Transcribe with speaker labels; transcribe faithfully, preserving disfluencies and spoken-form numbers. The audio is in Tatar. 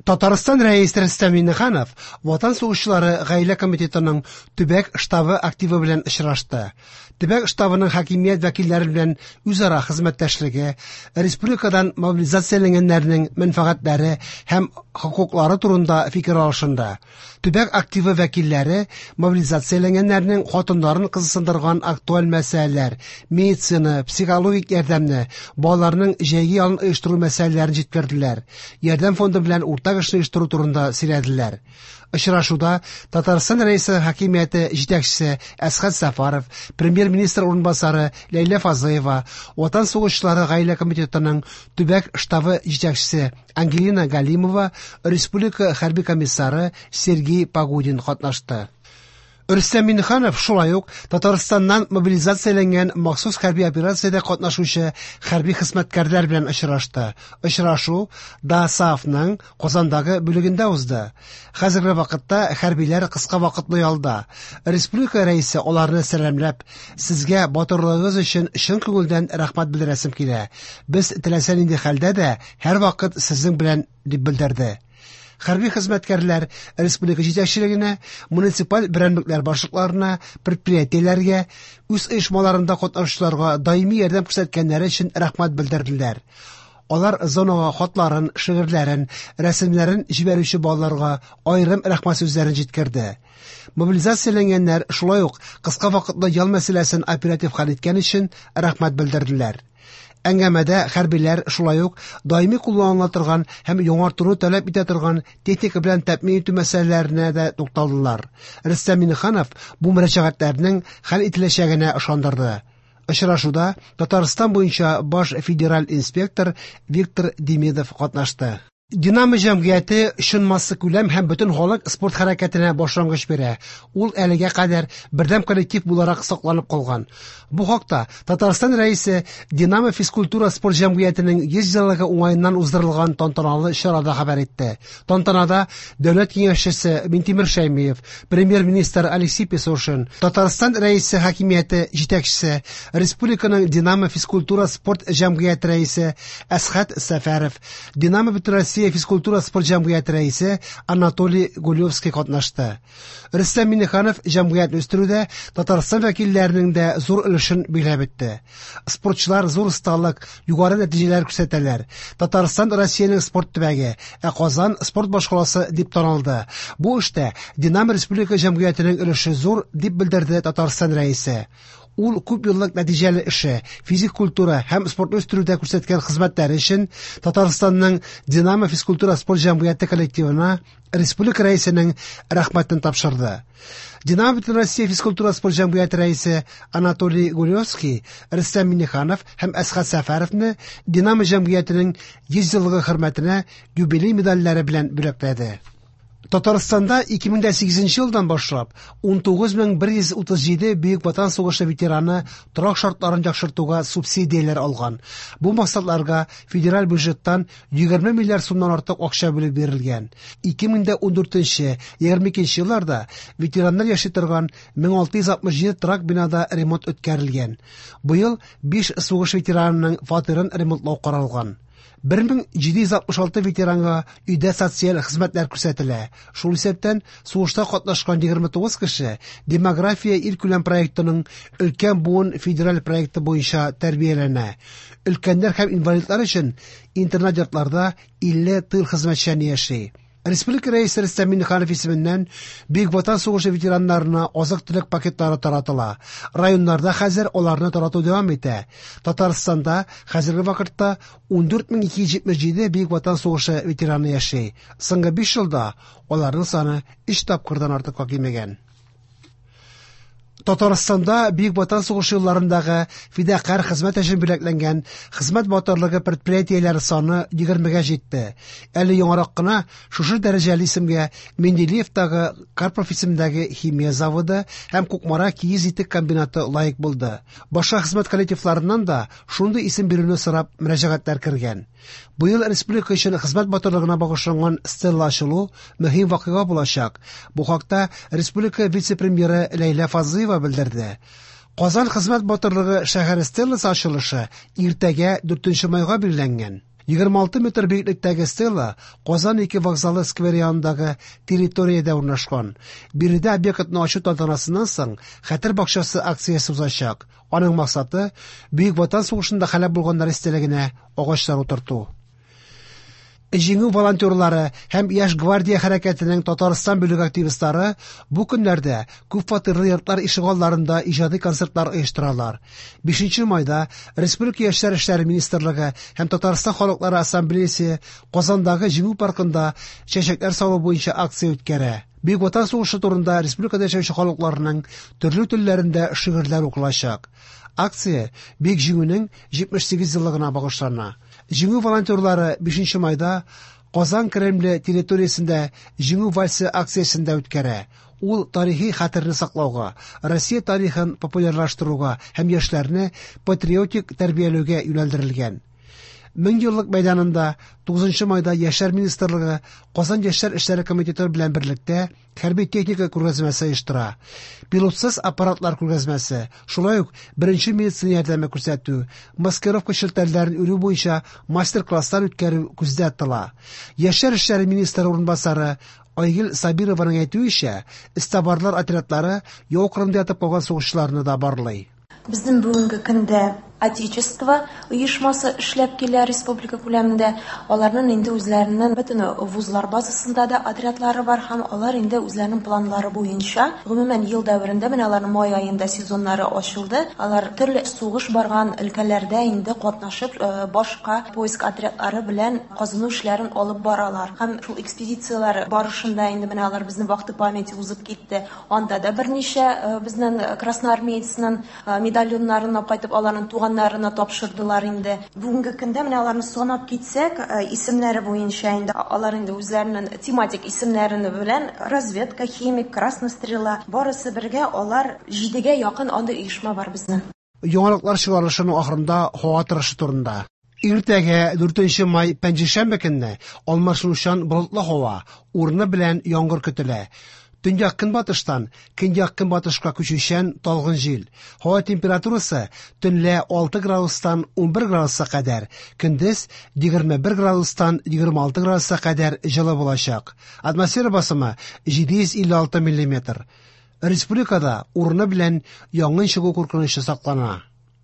Speaker 1: Татарстан Рәисе Рөстәм Миңнеханов Ватан сугышчылары гаилә комитетының төбәк штабы активы белән очрашты. Төбәк штабының хакимият вәкилләре белән үзара хезмәттәшлеге, республикадан мобилизацияләнгәннәрнең мәнфәгатьләре һәм хокуклары турында фикер алышынды. Төбәк активы вәкилләре мобилизацияләнгәннәрнең хатыннарын кызыксындырган актуаль мәсьәләләр, медицина, психологик ярдәмне, балаларның җәйге ялын оештыру мәсьәләләрен җиткерделәр. Ярдәм фонды белән уртак эшне оештыру турында сөйләделәр. Очрашуда Татарстан Рәисе хакимияте җитәкчесе Әсхәт Сәфәров, премьер-министр урынбасары Ләйлә Фазлыева, Ватан сугышчылары гаилә комитетының төбәк штабы җитәкчесе Ангелина Галимова, республика хәрби комиссары Сергей Погодин катнашты. Рөстәм Миңнеханов шулай ук Татарстаннан мобилизацияләнгән махсус хәрби операциядә катнашучы хәрби хезмәткәрләр белән очрашты. Очрашу ДОСААФның Казандагы бүлегендә узды. Хәзерге вакытта хәрбиләр кыска вакытлы ялда. Республика рәисе аларны сәламләп, "Сезгә батырлыгыгыз өчен чын күңелдән рәхмәт белдерәсем килә. Без теләсә нинди хәлдә дә һәрвакыт сезнең белән", дип белдерде. Хәрби хезмәткәрләр республика җитәкчелегенә, муниципаль берәмлекләр башлыкларына, предприятиеләргә, үз оешмаларында катнашучыларга даими ярдәм күрсәткәннәре өчен рәхмәт белдерделәр. Алар зонага хатларын, шигырьләрен, рәсемнәрен җибәрүче балаларга аерым рәхмәт сүзләрен җиткерде. Мобилизацияләнгәннәр шулай ук кыска вакытлы ял мәсьәләсен оператив хәл иткән өчен рәхмәт белдерделәр. Әңгәмәдә хәрбиләр шулай ук даими кулланыла торган һәм яңартуны таләп итә торган техника белән тәэмин итү мәсьәләләренә дә тукталдылар. Рөстәм Миңнеханов бу мөрәҗәгатьләрнең хәл ителәчәгенә ышандырды. Очрашуда Татарстан буенча баш федераль инспектор Виктор Демидов катнашты. Динамо җәмгыяте чын массакүләм һәм бөтен халык спорт хәрәкәтенә башлангыч бирә. Ул әлегә кадәр бердәм коллектив буларак сакланып калган. Бу хакта Татарстан Рәисе Динамо физкультура спорт җәмгыятенең йөз еллыгы уңаеннан уздырылган тантаналы чарада хәбәр итте. Тантанада Дәүләт киңәшчесе Минтимер Шәймиев, премьер-министр Алексей Песошин, Татарстан Рәисе хакимияте җитәкчесе, республиканың Динамо физкультура спорт җәмгыяте рәисе Әсхәт Сәфәров, Динамо Бөтенроссия физкультура спорт җәмгыяте рәисе Анатолий Гулевский катнашты. Рөстәм Миңнеханов җәмгыятьне үстерүдә Татарстан вәкилләренең дә зур өлешен биләп үтте. Спортчылар зур осталык, югары нәтиҗәләр күрсәтәләр. Татарстан Россиянең спорт төбәге, ә Казан спорт башкаласы дип танылды. Бу эштә Динамо республика җәмгыятенең өлеше зур, дип белдерде Татарстан рәисе. Ул күп еллык нәтиҗәле эше, физик культура һәм спортны үстерүдә күрсәткән хезмәтләре өчен Татарстанның Динамо физкультура спорт җәмгыяте коллективына республика рәисенең рәхмәтен тапшырды. Динамо Бөтенроссия физкультура спорт җәмгыяте рәисе Анатолий Гулевский, Рөстәм Миңнеханов һәм Әсхәт Сәфәровны Динамо җәмгыятенең йөз еллыгы хөрмәтенә юбилей медальләре белән бүләкләде. Татарстанда ике мең дә сигезенче елдан башлап ун тугыз мең бер йөз утыз җиде Бөек Ватан сугышы ветераны торак шартларын яхшыртуга субсидияләр алган. Бу максатларга федераль бюджеттан егерме миллиард сумнан артык акча бүлеп бирелгән. Ике мең дә ундүртенче, егерме икенче елларда ветераннар яши торган мең алты йөз алтмыш җиде торак бинада ремонт үткәрелгән. Быел биш сугыш ветеранының фатирын ремонтлау каралган. Бер мең җиде йөз алтмыш алты ветеранга өйдә социаль хезмәтләр күрсәтелә. Шул исәптән сугышта катнашкан егерме тугыз кеше Демография илкүләм проектының өлкән буын федераль проекты буенча тәрбияләнә. Өлкәннәр һәм инвалидлар өчен интернат йортларда илле тыл хезмәтчәне яши. Республика Рәисе Рөстәм Миңнеханов исеменнән Бөек Ватан сугышы ветераннарына азык-төлек пакетлары таратыла. Районнарда хәзер аларны тарату дәвам итә. Татарстанда хәзерге вакытта ундүрт мең ике йөз җитмеш җиде Бөек Ватан сугышы ветераны яши. Соңгы биш елда аларның саны өч тапкырдан артыкка кимегән. Татарстанда Бөек Ватан сугышы елларындагы фидакарь хезмәт өчен бүләкләнгән хезмәт батырлыгы предприятиеләре саны егермегә җитте. Әле яңарак кына шушы дәрәҗәле исемгә Менделеевтагы Карпов исемендәге химия заводы һәм Кукмара киез итек комбинаты лаек булды. Башка хезмәт коллективларыннан да шундый исем бирүне сорап мөрәҗәгатьләр кергән. Быел республика өчен хезмәт батырлыгына багышланган стелла ачылу мөһим вакыйга булачак. Бу хакта республика вице-премьеры Ләйлә Фазлыева белдерде. Казан хезмәт батырлыгы шәһәре стелласы ачылышы иртәгә дүртенче майга билгеләнгән. Егерме алты метр биеклектәге стела Казан ике вокзалы скверы янындагы территориядә урнашкан. Биредә объектны ачу тантанасыннан соң Хәтер бакчасы акциясе узачак. Аның максаты Бөек Ватан сугышында һәлак булганнар истәлегенә агачлар утырту. Җиңү волонтерлары һәм Яшь гвардия хәрәкәтенең Татарстан бүлеге активистлары бу көннәрдә күп фатирлы йортлар ишегалларында иҗади концертлар оештыралар. Бишенче майда Республика Яшьләр эшләре министрлыгы һәм Татарстан халыклары ассамблеясы Казандагы Җиңү паркында чәчәкләр салу буенча акция үткәрә. Бөек Ватан сугышы турында республикада яшәүче халыкларның төрле телләрендә шигырьләр укылачак. Акция Бөек Җиңүнең җитмеш сигез еллыгына багышлана. Җиңү волонтерлары бишенче майда Казан Кремле территориясендә Җиңү вальсы акциясендә үткәрә. Ул тарихи хәтерне саклауга, Россия тарихын популярлаштыруга һәм яшьләрне патриотик тәрбияләүгә юнәлдерелгән. Мең еллык мәйданында тугызынчы майда Яшьләр министрлыгы Казан Яшьләр эшләре комитеты белән берлектә хәрби техника күргәзмәсе оештыра. Пилотсыз аппаратлар күргәзмәсе, шулай ук беренче медицина ярдәме күрсәтү, маскировка челтәрләрен үрү буенча мастер-класслар үткәрү күздә тотыла. Яшьләр эшләре министры урынбасары Айгөл Сабированың әйтүенчә, эзтабарлар отрядлары яу кырында ятып калган сугышчыларны да барлый.
Speaker 2: Безнең бүгенге көндә Отечество оешмасы эшләп килә республика күләмендә. Аларның инде үзләренең бөтен вузлар базасында да отрядлары бар һәм алар инде үзләренең планнары буенча гомумән ел дәверендә менә аларның май аенда сезоннары ачылды. Алар төрле сугыш барган өлкәләрдә инде катнашып, э, башка поиск отрядлары белән казыну эшләрен алып баралар. Һәм шул экспедицияләр барышында инде менә алар безнең вахта памяти узып китте. Анда да берничә, э, безнең красноармеецның, э, медальоннарын алып кайтып аларның туган туганнарына тапшырдылар инде. Бүгенге көндә менә аларны санап китсәк, э, исемнәре буенча инде алар инде үзләренең тематик исемнәрен белән разведка, химик, красная стрела, барысы бергә алар җидегә якын андый оешма бар безнең.
Speaker 1: Яңалыклар чыгарылышының ахырында һава торышы турында. Иртәгә дүртенче май пәнҗешәмбе көнне алмашынучан болытлы һава, урыны белән яңгыр көтелә. Төньяк көнбатыштан көньяк көнбатышка күчүчән талгын җил. Һава температурасы төнлә алты градустан унбер градуска кадәр, көндез егерме бер градустан егерме алты градуска кадәр җылы булачак. Атмосфера басымы җиде йөз илле алты миллиметр. Республикада урыны белән янгын чыгу куркынычы саклана.